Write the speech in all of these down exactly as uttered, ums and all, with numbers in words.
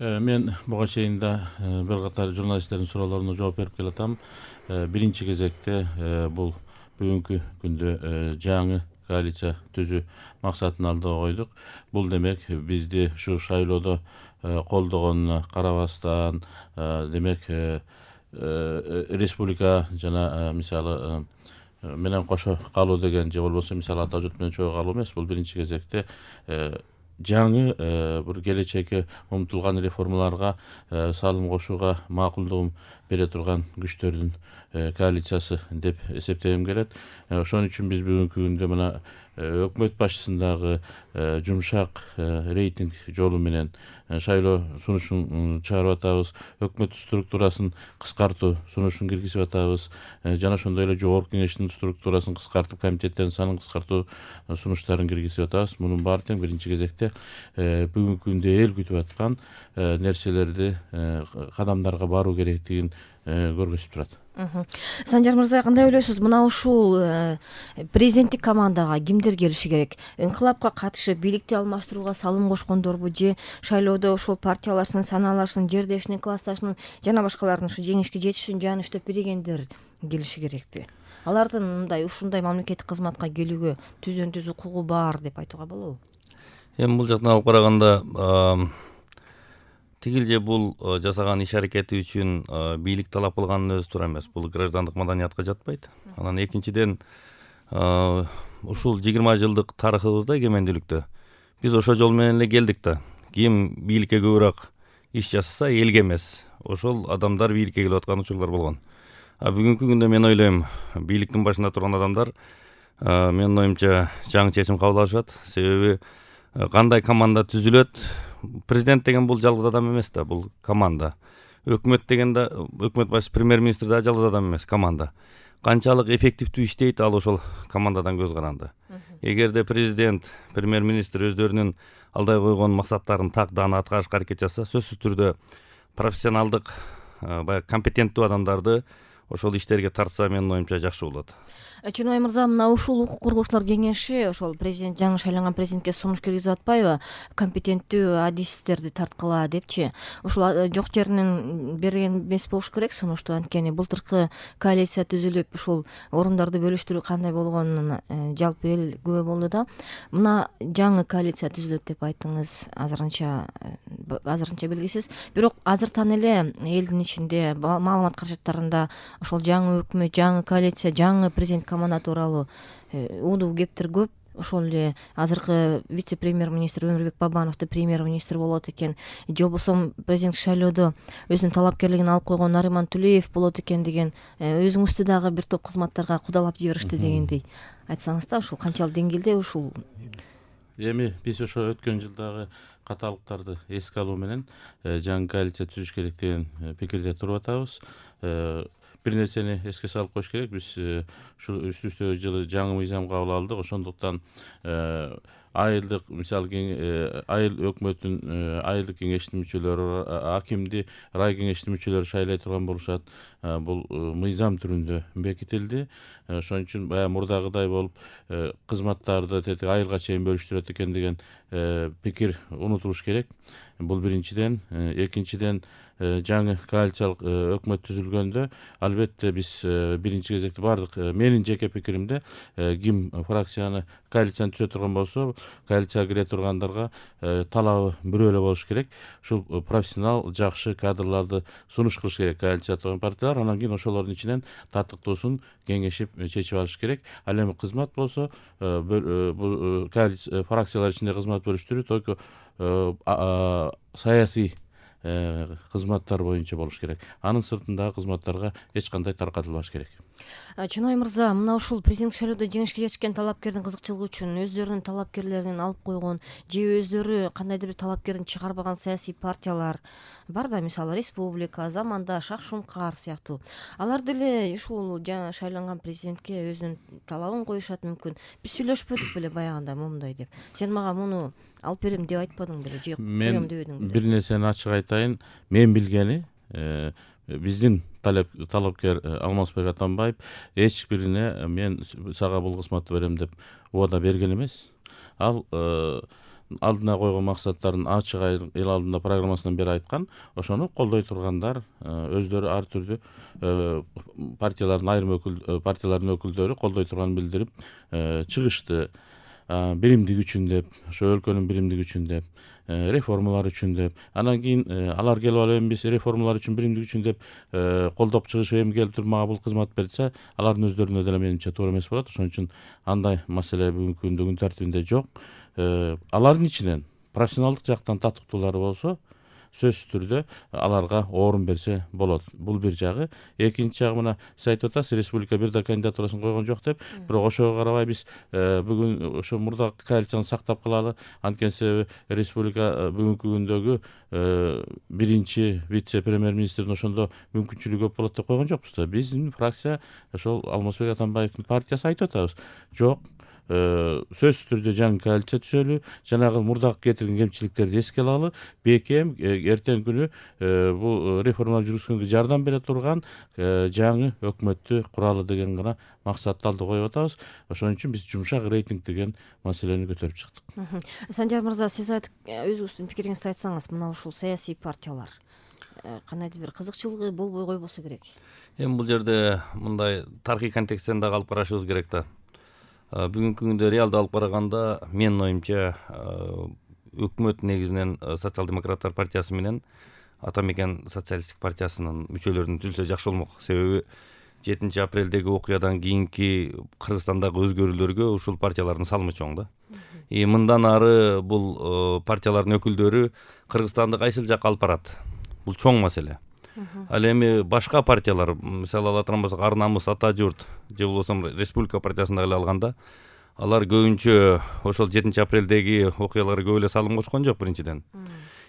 Мен буга чейин да бир катар журналисттердин суроолоруна жооп берип келатам. Биринчи кезекте бул бүгүнкү күндө жаңы коалиция түзүү максатын алдыга койдук. Бул демек бизди ушу шайлоодо колдогонуна карабастан, демек республика жана мисалы менен кошо калуу деген же болбосо мисалы ата журт менен чогуу калуу эмес. Бул биринчи кезекте жаңы бир келечекке умтулган реформаларга салым кошууга макулдугун бере турган күчтөрдүн коалициясы деп эсептегим келет. Ошон үчүн биз бүгүнкү күндө мына өкмөт башчысындагы жумшак рейтинг жолу менен шайлоо сунушун чыгарып атабыз, өкмөт структурасын кыскартуу сунушун киргизип атабыз, жана ошондой эле жогорку кеңештин структурасын кыскартып, комитеттердин санын кыскартуу сунуштарын киргизип атабыз. Мунун баары тең биринчи кезекте бүгүнкү күндө эл күтүп аткан нерселерди, кадамдарга баруу керектигин көргөзүп турат. Санжар мырза, кандай ойлойсуз? Мына ушул президенттик командага кимдер келиши керек? Инкылапка катышып бийликти алмаштырууга салым кошкондорбу же шайлоодо ушул партияларчынын, санааларчынын, жердешинин, классташынын жана башкалардын ушу жеңишке жетиш үчүн жаны иштеп берегендер келиши керекпи? Алардын мындай ушундай мамлекеттик кызматка келүүгө түздөн түз укугу бар деп айтууга болобу? Эми бул жактан алып караганда тигил же бул жасаган иш аракети үчүн бийлик талап кылганын өзү туура эмес. Бул граждандык маданиятка жатпайт. Анан экинчиден ушул жыйырма жылдык тарыхыбызда, эгемендүүлүктө биз ошол жол менен эле келдик да. Ким бийликке көбүрөөк иш жасаса, элге эмес, ошол адамдар бийликке келип аткан учурлар болгон. А бүгүнкү күндө мен ойлойм, бийликтин башында турган адамдар менин оюмча жаңы чечим кабыл алышат. Себеби кандай команда түзүлөт? Президент деген бул жалгыз адам эмес да, бул команда. Өкмөт деген да, өкмөт башчысы, премьер-министр да жалгыз адам эмес, команда. Канчалык эффективдүү иштейт, ал ошол командадан көз каранды. Эгерде президент, премьер-министр өздөрүнүн алдай койгон максаттарын так даана аткарышка аракет жасаса, сөзсүз түрдө профессионалдык, баягы компетенттүү адамдарды ошол иштерге тартса, менин оюмча жакшы болот. Чыныбай мырза, мына ушул укук коргоочулар кеңеши ошол президент, жаңы шайланган президентке сунуш киргизип атпайбы? Компетенттүү адистерди тарткыла депчи. Ушул жок жеринен берген эмес болуш керек сунушту. Анткени былтыркы коалиция түзүлүп, ушул орундарды бөлүштүрүү кандай болгонуна жалпы эл күбө болду да. Мына жаңы коалиция түзүлөт деп айттыңыз, азырынча азырынча белгисиз. Бирок азыртан эле элдин ичинде, маалымат каражаттарында ошол жаңы өкмөт, жаңы коалиция, жаңы президент команда тууралуу уудуу кептер көп. Ошол эле азыркы вице-премьер-министр Өмүрбек Бабановду премьер-министр болот экен, же болбосо президенттик шайлоодо өзүнүн талапкерлигин алып койгон Нариман Тулеев болот экен деген, өзүңүздү дагы бир топ кызматтарга кудалап жиберишти дегендей айтсаңыз да, ушул канчалык деңгээлде ушул? Эми биз ошо өткөн жылдагы каталыктарды эске алуу менен жаңы коалиция түзүш керек деген пикирде туруп атабыз. Бир нерсени эске салып коюш керек. Биз ушул үстүбүздөгү жылы жаңы мыйзам кабыл алдык. Ошондуктан айылдык, мисалы айыл өкмөттүн айылдык кеңештин мүчөлөрү, акимди рай кеңештин мүчөлөрү шайлай турган болушат. Бул мыйзам түрүндө бекитилди. Ошон үчүн баягы мурдагыдай болуп кызматтарды тети айылга чейин бөлүштүрөт экен деген пикир унутулуш керек. Бул биринчиден. Экинчиден, жаңы коалициялык өкмөт түзүлгөндө албетте биз биринчи кезекте бардык, менин жеке пикиримде, ким фракцияны, коалицияны түзө турган болсо, коалицияга кире тургандарга талабы бирөө эле болуш керек. Ушул профессионал, жакшы кадрларды сунуш кылыш керек коалицияда турган партиялар. Анан кийин ошолордун ичинен татыктуусун кеңешип чечип алыш керек. Ал эми кызмат болсо, бул фракциялар ичинде кызмат бөлүштүрүү только саясий кызматтар боюнча болуш керек. Анын сыртындагы кызматтарга эч кандай таркатылбаш керек. Чыныбай мырза, мына ушул президенттик шайлоодо жеңишке жетишкен талапкердин кызыкчылыгы үчүн өздөрүнүн талапкерлерин алып койгон же өздөрү кандайдыр бир талапкерин чыгарбаган саясий партиялар бар да, мисалы республика, Замандаш, Ак Шумкар сыяктуу. Алар деле ушул жаңы шайланган президентке өзүнүн талабын коюшат мүмкүн. Биз сүйлөшпөдүк беле баягында момундай деп. Сен мага муну алып берем деп айтпадың беле, же коем дебедиң беле? Бир нерсени ачык айтайын. Мен билгени, биздин талапкер Алмазбек Атамбаев эч бирине мен сага бул кызматты берем деп убада берген эмес. Ал алдына койгон максаттарын ачык эл алдында программасынан бери айткан, ошону колдой тургандар өздөрү ар түрдүү партиялардын айрым өкүл партиялардын өкүлдөрү колдой турганын билдирип чыгышты. Биримдик үчүн деп, ошо өлкөнүн биримдиги үчүн деп, реформалар үчүн деп, анан кийин алар келип алып эми биз реформалар үчүн, биримдик үчүн деп колдоп чыгышып эми келип туруп мага бул кызмат берсе, алардын өздөрүнө деле менимче туура эмес болот. Ошон үчүн андай маселе бүгүнкү күндө күн тартибинде жок. Алардын ичинен профессионалдык жактан татыктуулары болсо, сөзсүз түрдө аларга орун берсе болот. Бул бир жагы. Экинчи жагы мына сиз айтып атасыз, республика бир да кандидатурасын койгон жок деп. Бирок ошого карабай биз бүгүн ошо мурдагы коалицияны сактап калалы. Анткени себеби республика бүгүнкү күндөгү биринчи вице-премьер-министрдин ошондо мүмкүнчүлүгү көп болот деп койгон жокпуз да. Биздин фракция ошол Алмазбек Атамбаевдин партиясы айтып атабыз. Жок, сөзсүз түрдө жаңы коалиция түзөлү, жанагы мурдагы кетирген кемчиликтерди эске алалы, бекем эртеңки күнү бул реформалар жүргүзгөнгө жардам бере турган жаңы өкмөттү куралы деген гана максатты алды коюп атабыз. Ошон үчүн биз жумшак рейтинг деген маселени көтөрүп чыктык. Санжар мырза, сиз айтып өзүңүздүн пикириңизди айтсаңыз, мына ушул саясий партиялар кандайдыр бир кызыкчылыгы болбой койбосо керек. Эми бул жерде мындай тарыхый контексттен дагы алып карашыбыз керек да. Бүгүнкү күндө реалдуу алып караганда менин оюмча өкмөт негизинен социал-демократтар партиясы менен Атамекен социалисттик партиясынын мүчөлөрүн түзүлсө жакшы болмок. Себеби жетинчи апрелдеги окуядан кийинки Кыргызстандагы өзгөрүүлөргө ушул партиялардын салымы чоң да. И мындан ары бул партиялардын өкүлдөрү Кыргызстанды кайсыл жакка алып барат? Бул чоң маселе. Ал эми башка партиялар, мисалы ала турган болсок, Ар намыс, Ата журт же болбосо Республика партиясында эле алганда, алар көбүнчө ошол жетинчи апрелдеги окуяларга көп эле салым кошкон жок биринчиден.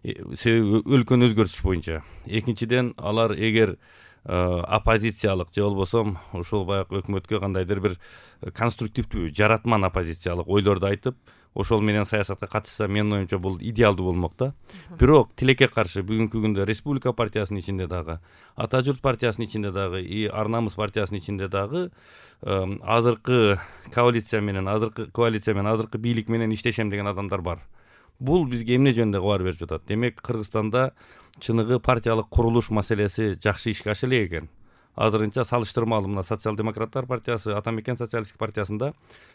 Себеби өлкөнү өзгөртүш боюнча. Экинчиден, алар эгер оппозициялык же болбосо ушул баягы өкмөткө кандайдыр бир конструктивдүү, жаратман оппозициялык ойлорду айтып, ошол менен саясатка катышса, менин оюмча бул идеалдуу болмок да. Бирок тилекке каршы бүгүнкү күндө Республика партиясынын ичинде дагы, Ата журт партиясынын ичинде дагы, и Ар намыс партиясынын ичинде дагы азыркы коалиция менен, азыркы коалиция менен, азыркы бийлик менен иштешем деген адамдар бар. Бул бизге эмне жөнүндө кабар берип жатат? Демек, Кыргызстанда чыныгы партиялык курулуш маселеси жакшы ишке аша элек экен. Азырынча салыштырмалуу мына социал-демократтар партиясы, Атамекен социалисттик партиясында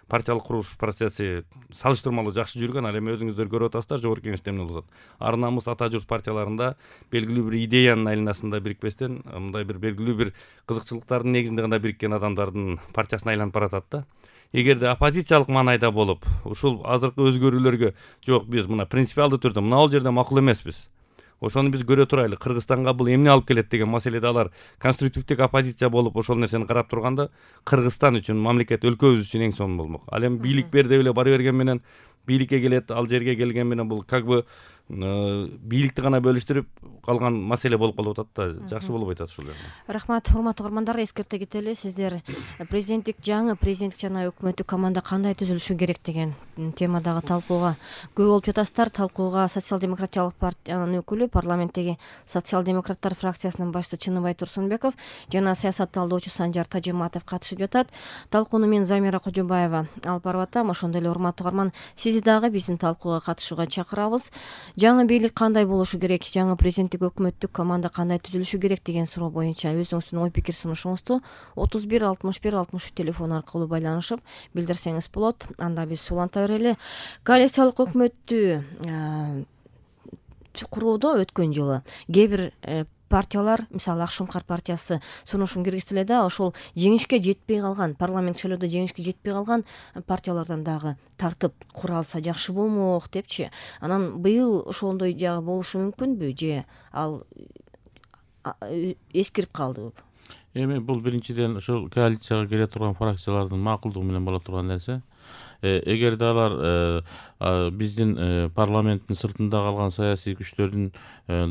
партиялык курулуш процесси салыштырмалуу жакшы жүргөн. Ал эми өзүңүздөр көрүп атасыздар, жогорку кеңеште эмне болуп атат. Ар намыс, Ата журт партияларында белгилүү бир идеянын айланасында бирикпестен, мындай бир белгилүү бир кызыкчылыктардын негизинде гана бириккен адамдардын партиясына айланып баратат да. Эгерде оппозициялык маанайда болуп, ушул азыркы өзгөрүүлөргө жок, биз мына принципиалдуу түрдө мына бул жерде макул эмеспиз, ошону биз көрө турайлы, Кыргызстанга бул эмне алып келет деген маселеде алар конструктивдик оппозиция болуп ошол нерсени карап турганда, Кыргызстан үчүн, мамлекет, өлкөбүз үчүн эң сонун болмок. Ал эми бийлик бер деп эле бара берген менен, бийликке келет, ал жерге келген менен бул как бы бийликти гана бөлүштүрүп калган маселе болуп калып атат да, жакшы болбой атат ушул жерде. Рахмат, урматтуу угармандар, эскерте кетели, сиздер президенттик жаңы президенттик жана өкмөттүк команда кандай түзүлүшү керек деген темадагы талкууга көп болуп жатасыздар. Талкууга социал-демократиялык партиянын өкүлү, парламенттеги социал-демократтар фракциясынын башчысы Чыныбай Турсунбеков жана саясат талдоочу Санжар Тажиматов катышып жатат. Талкууну мен Замира Кожобаева алып барып атам. Ошондой эле урматтуу угарман, сизди дагы биздин талкууга катышууга чакырабыз. Жаңы бийлик кандай болушу керек, жаңы президенттик өкмөттүк команда кандай түзүлүшү керек деген суроо боюнча өзүңүздүн ой пикир сунушуңузду отуз бир алтымыш бир алтымыш үч телефону аркылуу байланышып билдирсеңиз болот. Анда биз суланта берели. Коалициялык өкмөттү куруудо өткөн жылы кээ бир партиялар, мисалы Ак Шумкар партиясы сунушун киргизди эле да, ошол жеңишке жетпей калган, парламент шайлоодо жеңишке жетпей калган партиялардан дагы тартып куралса жакшы болмок депчи. Анан быйыл ошондой жагы болушу мүмкүнбү же ал эскирип калдыбы? Эми бул биринчиден ошол коалицияга кире турган фракциялардын макулдугу менен боло турган нерсе. Эгерде алар биздин парламенттин сыртында калган саясий күчтөрдүн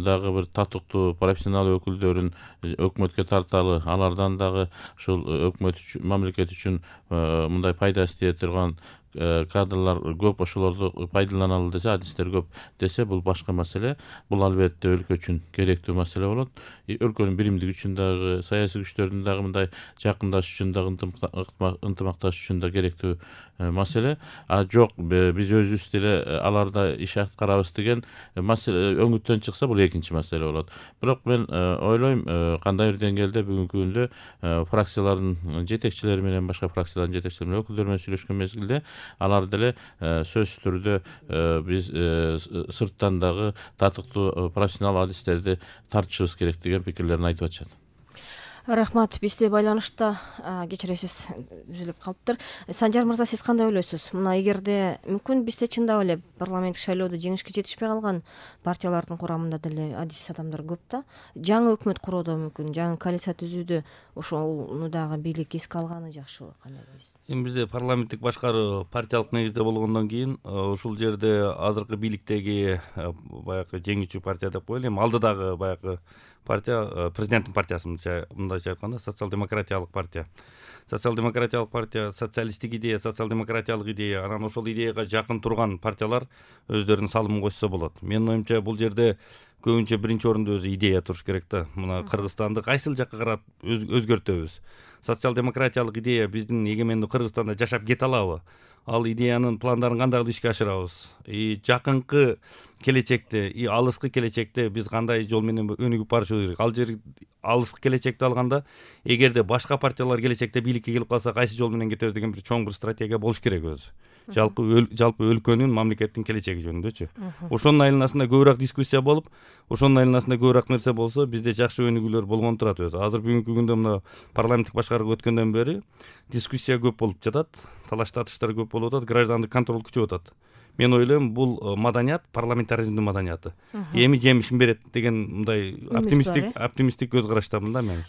дагы бир татыктуу профессионал өкүлдөрүн өкмөткө тарталы, алардан дагы ушул өкмөт үчүн, мамлекет үчүн мындай пайда эстей турган кадрлар көп, ошолорду пайдаланалы десе, адистер көп десе, бул башка маселе. Бул албетте өлкө үчүн керектүү маселе болот. Өлкөнүн биримдиги үчүн дагы, саясий күчтөрдүн дагы мындай жакындашыш үчүн дагы, ынтымакташыш үчүн да керектүү маселе. А жок, биз өзүбүз түз деле аларда иш аткарабыз деген маселе өңүттөн чыкса, бул экинчи маселе болот. Бирок мен ойлойм, кандай бир деңгээлде бүгүнкү күндө фракциялардын жетекчилери менен, башка фракциялардын жетекчилери менен, өкүлдөрү менен сүйлөшкөн мезгилде алар деле сөзсүз түрдө биз сырттан дагы татыктуу профессионал адистерди тартышыбыз керек деген пикирлерин айтып атышат. Рахмат. Бизде байланышта кечиресиз үзүлүп калыптыр. Санжар мырза, сиз кандай ойлойсуз? Мына эгерде мүмкүн бизде чындап эле парламенттик шайлоодо жеңишке жетишпей калган партиялардын курамында деле адис адамдар көп да, жаңы өкмөт куроодо мүмкүн, жаңы коалиция түзүүдө ошону дагы бийлик эске алганы жакшыбы, кандай дейсиз? Эми бизде парламенттик башкаруу партиялык негизде болгондон кийин ушул жерде азыркы бийликтеги баягы жеңүүчү партия деп коелу, эми алдыдагы баягы партия президенттин партиясы, мындайча айтканда социал-демократиялык партия. Социал-демократиялык партия социалисттик идея, социал-демократиялык идея, анан ошол идеяга жакын турган партиялар өздөрүнүн салымын кошсо болот. Менин оюмча бул жерде көбүнчө биринчи орунда өзү идея туруш керек да. Мына Кыргызстанды кайсыл жакка карап өзгөртөбүз? Социал-демократиялык идея биздин эгемендүү Кыргызстанда жашап кете алабы? Ал идеянын пландарын кандай ишке ашырабыз? И жакынкы келечекте, и алыскы келечекте биз кандай жол менен өнүгүп барышыбыз керек? Ал жер алыскы келечекти алганда, эгерде башка партиялар келечекте бийликке келип калса, кайсы жол менен кетебиз деген бир чоң бир стратегия болуш керек өзү. Жалпы жалпы өлкөнүн, мамлекеттин келечеги жөнүндөчү. Ошонун айланасында көбүрөөк дискуссия болуп, ошонун айланасында көбүрөөк нерсе болсо, бизде жакшы өнүгүүлөр болгон турат өзү. Азыр бүгүнкү күндө мына парламенттик башкарууга өткөндөн бери дискуссия көп болуп жатат, талаш татыштар көп болуп атат, граждандык контроль күчөп атат. Мен ойлойм, бул маданият парламентаризмдин маданияты. Эми жемишин берет деген мындай оптимисттик оптимисттик көз караштамын да мен.